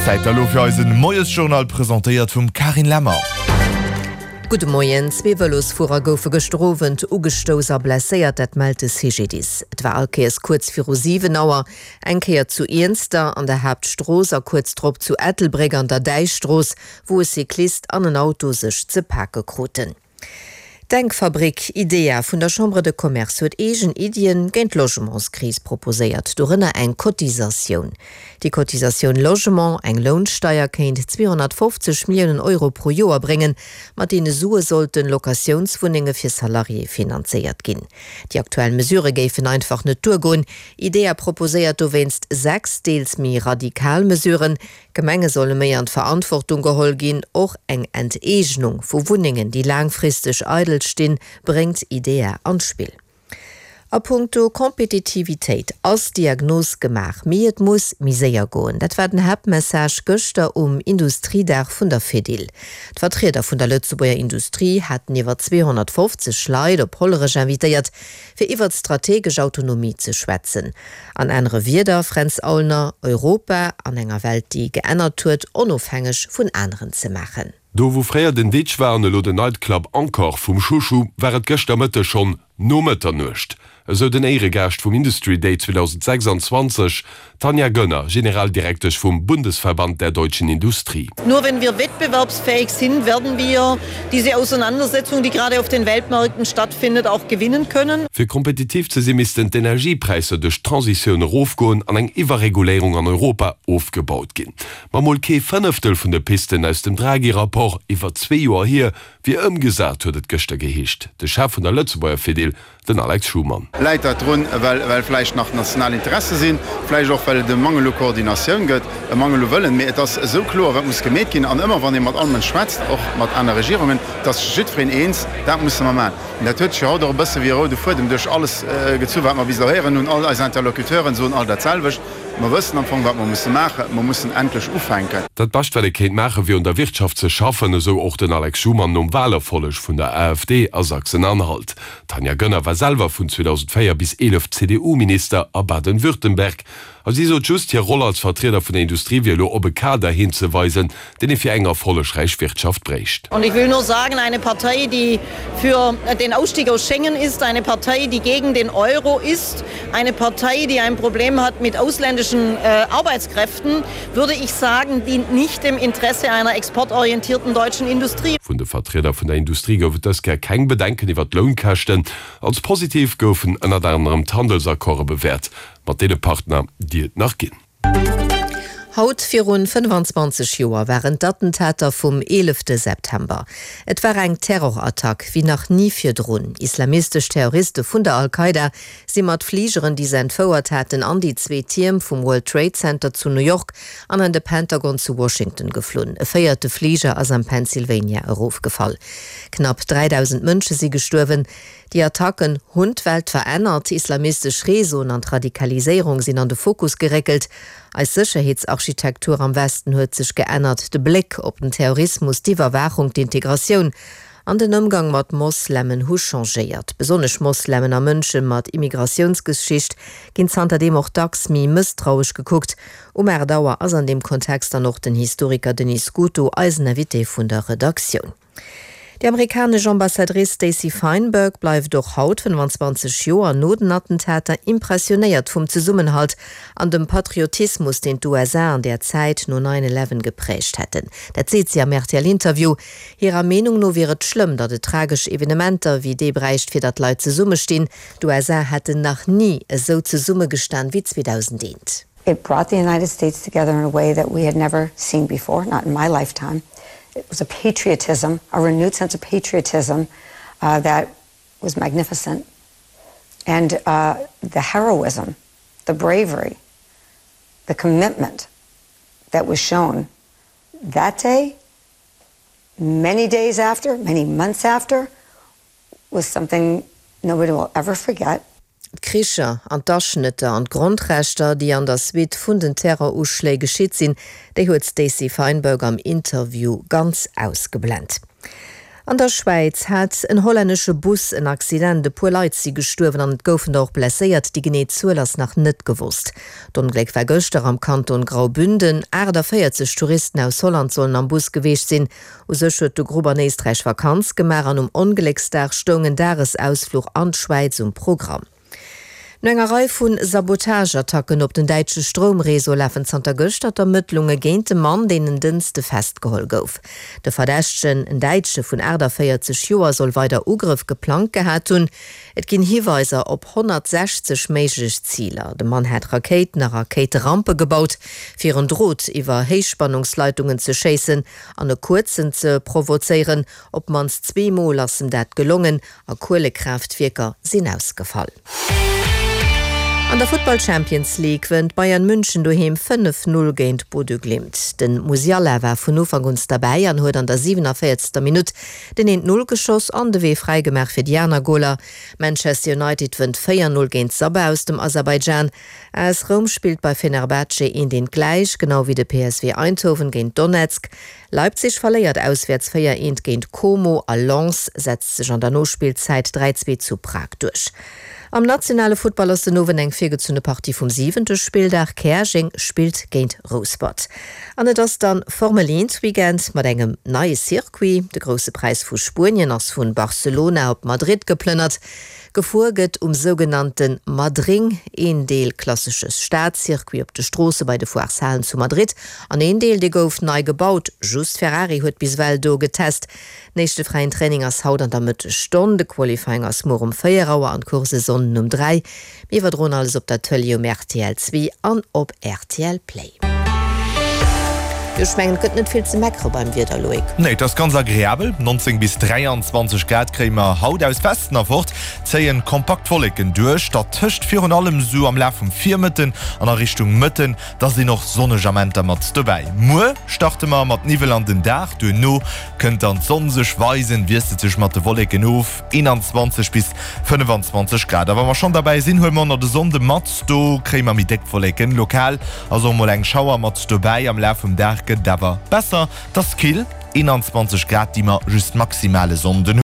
Zäit da lo fir eisen Moiesjournal, presentéiert vum Carine Lemmer. Gudde Moien. Zwee Vëlosfuerer goufe gëschter Owend ugestouss a blesséiert, dat mellt de CGDIS. Et war all Kéiers kuerz viru 7 Auer, eng Kéier zu Iernster an der Haaptstrooss a kuerz drop zu Ettelbréck an der Däichstrooss, wou e Cyclist an en Auto sech ze pake kruten. D'Denkfabrik IDEA vun der Chambre de Commerce huet eegen Iddien géint d'Logementskris proposéiert, dorënner eng Cotisatioun. Déi Cotisatioun Logement, eng Lounsteier, kéint 250 Milliounen Euro pro Joer bréngen. Mat deene Sue sollten Locatiounswunnenge fir Salariéë finanzéiert ginn. Déi aktuell Mesurë géifen einfach net duergoen. IDEA proposéiert dowéinst 6 deels méi radikal Mesuren, D'Gemenge solle méi an d'Verantwortung geholl ginn. Och eng Enteegnung vu Wunnengen, déi laangfristeg eidel stinn, bréngt IDEA an d'Spill. A punkto Kompetitivitéit ass d'Diagnos gemaach, mee et muss méi séier goen. Dat war den Haaptmessage gëschter um Industriedag vun der Fedil. D'Vertrieder vun der Lëtzebuerger Industrie haten iwwer 250 Leit op Hollerech invitéiert, fir iwwert strategesch Autonomie ze schwätzen. An anere Wierder, Fränz Aulner, Europa an enger Welt déi geännert huet, onofhängeg vun aneren ze maachen. Do wou fréier den Ditch war an elo den Nightclub Encore vum Chouchou, war et gëschter Mëtteg schonn no Mëtternuecht, esou den Éieregaascht vum Industry Day 2026, D'Tanja Gönner, Generaldirektesch vum Bundesverband der deutschen Industrie. Nur wenn wir wettbewerbsfähig sind, werden wir diese Auseinandersetzung, die gerade auf den Weltmärkten stattfindet, auch gewinnen können. Fir kompetitiv ze sinn, missten d'Energiepräisser duerch d'Transitioun erofgoen an eng Iwwerreguléierung an Europa ofgebaut ginn. Ma mol kee Fënneftel vun de Pisten aus dem Draghi-Rapport, iwwer zwee Joer hier, wier ëmgesat, huet et gëschter geheescht. De Chef vun der Lëtzebuerger Fedil, Den Alex Schumann. Läit dat drun, well vläicht nach national Interesse sinn, vläicht och well et e Mangel u Koordinatioun gëtt, e Mangel u Wëllen. Mee et ass esou kloer, wat muss gemeet ginn. An ëmmer wann ee mat all Mënsch schwätzt, och mat aner Regierungen, et ass jiddwereen eens, dat musse mer maachen. An dat huet sech jo haut och e bësse wéi e roude Fuedem duerch alles gezu wat mer bis elo héieren hunn. All eis Interlocuteuren soen all dat selwecht, Mer wëssen am Fong, wat mer musse maachen. Mer mussen endlech ufänken. Dat Bescht, wat ee kéint maachen, wier un der Wirtschaft ze schaffen, esou och den Alex Schumann nom Walerfolleg vun der AfD a Sachsen-Anhalt. D'Tanja Gönner war selwer vun 2004 bis 11 CDU-Minister a Baden-Württemberg a si sot just, hir Roll als Vertrieder vun der Industrie wier elo op e Kader hinzeweisen, deen ee fir eng erfollegräich Wirtschaft bréicht. Und ich will nur sagen, eine Partei, die für den Ausstieg aus Schengen ist, eine Partei, die gegen den Euro ist, eine Partei, die ein Problem hat mit ausländischen Arbeitskräften, würde ich sagen, dient nicht dem Interesse einer exportorientierten deutschen Industrie. Vun de Vertrieder vun der Industrie gouf et dës Kéier keng Bedenken iwwer d'Lounkäschten. Als positiv goufen ënnert anerem d'Handelsaccorde bewäert mat deene Partner, déi et nach ginn. Haut virun 25 Joer waren d'Attentater vum eelefte September. Et war eng Terrorattack wéi nach ni virdrun. Islamistesch Terroriste vun der Al-Qaida si mat Fligeren, déi se entfouert haten, an déi zwee Tierm vum World Trade Center zu New York an an de Pentagon zu Washington geflunn. E véierte Fliger ass am Pennsylvania erofgefall. Knapp 3.000 Mënsche si gestuerwen. Déi Attacken hunn d'Welt verännert, islamistesch Réseauen an d'Radikaliséierung sinn an de Fokus geréckelt, eis Sécherheetsarchitektur am Westen huet sech geännert, de Bléck op den Terrorismus, d'Iwwerwaachung, d'Integratioun an den Ëmgang mat Moslemen hu changéiert. Besonnesch Moslemen a Mënsche mat Immigratiounsgeschicht ginn zanterdeem och dacks méi mësstrauesch gekuckt. Um 8 Auer ass an deem Kontext dann och den Historiker Denis Scuto eisen Invité vun der Redaktioun. Déi amerikanesch Ambassadrice Stacey Feinberg bleift och haut, 25 Joer no den Attentater, impressionéiert vum Zesummenhalt an dem Patriotismus, deen d'USA an där Zäit no Nine Eleven gepräägt hätten. Dat seet si am RTL-Interview. Hirer Meenung no wier et schlëmm, datt et tragesch Evenementer wéi dee bräicht, fir datt Leit zesummestinn. D'USA hätten nach ni esou zesummegestan wéi 2001. It brought the United States together in a way that we had never seen before, not in my lifetime. It was a patriotism, a renewed sense of patriotism uh, that was magnificent. And uh, the heroism, the bravery, the commitment that was shown that day, many days after, many months after, was something nobody will ever forget. D'Kricher an d'Aschnëtter an d'Grondrechter, déi an der Suite vun den Terroruschléi geschitt sinn, déi huet d'Stacey Feinberg am Interview ganz ausgeblent. An der Schwäiz hat en hollännesche Bus en Accident. E puer Leit si gestuerwen an et goufen der och blesséiert. Déi genee Zuel ass nach net gewosst. D'Ongléck war gëschter am Kanton Graubünden. 48 Touristen aus Holland sollen am Bus geweecht sinn. U sech huet de Grupp an Éisträich Vakanz gemaach an um Onglécksdag stoung en Dagesausfluch an d'Schwäiz um Programm. No enger Rei vu Sabotageattacken op den däitsche Stroumreseau lafen zanter gëschter d'Ermëttlunge géint de Mann, deen en Dënschde festgeholl gouf. De Verdächtegen, en Däitsche vun 48 Joer, soll weider Ugrëff geplangt gehat hunn. Et ginn Hiweiser op 160 méiglech Ziler. De Mann hätt Rakéiten a Rakéiterampe gebaut, fir en Drot iwwer Héichspannungsleitungen ze schéissen an e kuerzen ze provozéieren. Op d'mannst zweemol ass em dat gelongen. A Kuelekraaftwierker sinn ausgefall. An der Futtball Champions League wënnt Bayern München doheem 5, 0 géint Bodø Glimt. Den Musiala war vun Ufank uns derbäi an huet an der 47. Minutt den 1, 0 geschoss an de Wee fräi gemaach fir déi aner Goler. Manchester United wënnt 4, 0 géint Sabah aus dem Aserbaidschan. AS Roum spillt bei Fenerbahce 1, 1 gläich, genau wéi de PSV Eindhoven géint Donetsk. Leipzig verléiert auswäerts 4, 1 géint Como a Lens setzt sech an der Nospillzäit 3, 2 zu Prag duerch. Am nationale Futtball ass den Owend eng virgezunne Partie vum siwente Spilldag. Käerjeng spillt géint Rouspert. An et ass dann Formel 1 Weekend mat engem neie Circuit. De Grousse Präis vu Spuenien ass vun Barcelona op Madrid geplënnert. Gefuer gëtt um sougenannte Madring, een Deel klassesche Stadcircuit op de Stroosse bei de Foireshalen zu Madrid an een Deel, dee gouf nei gebaut. Just Ferrari huet bis ewell do getest. Den éischte fräien Training ass haut an der Mëttegstonn, de Qualifying ass muer um 4 Auer an d'Course e Sonnden um 3. Mir iwwerdroen alles op der Tëlee um rtl 2 an op rtl Play. Jo, ech mengen, et gëtt net vill ze meckere beim Wieder, Loïc. Nee, et ass ganz agreabel, 19 bis 23 Grad kréie mer haut. Aus Westen erfort zéien kompakt Wolleken duerch, dertëscht virun allem sou am Laf vum Virmëtten an a Richtung Mëtten, da sinn och sonneg Amenter mat dobäi. Muer starte mer mat Niwwel an den Dag, duerno kënnt dann d'Sonn sech weisen, wiesselt sech mat de Wolleken of. 21 bis 25 Grad. A wa mer schonn derbäi sinn, huele mer och nach de Sonnde mat. Do kréie mer méi déck Wolleken. Lokal ass och mol eng Schauer mat dobäi. Am Laf vum Dag gëtt et awer besser. Et ass kill, 21 Grad, déi mer just maximal e Sonnden hunn.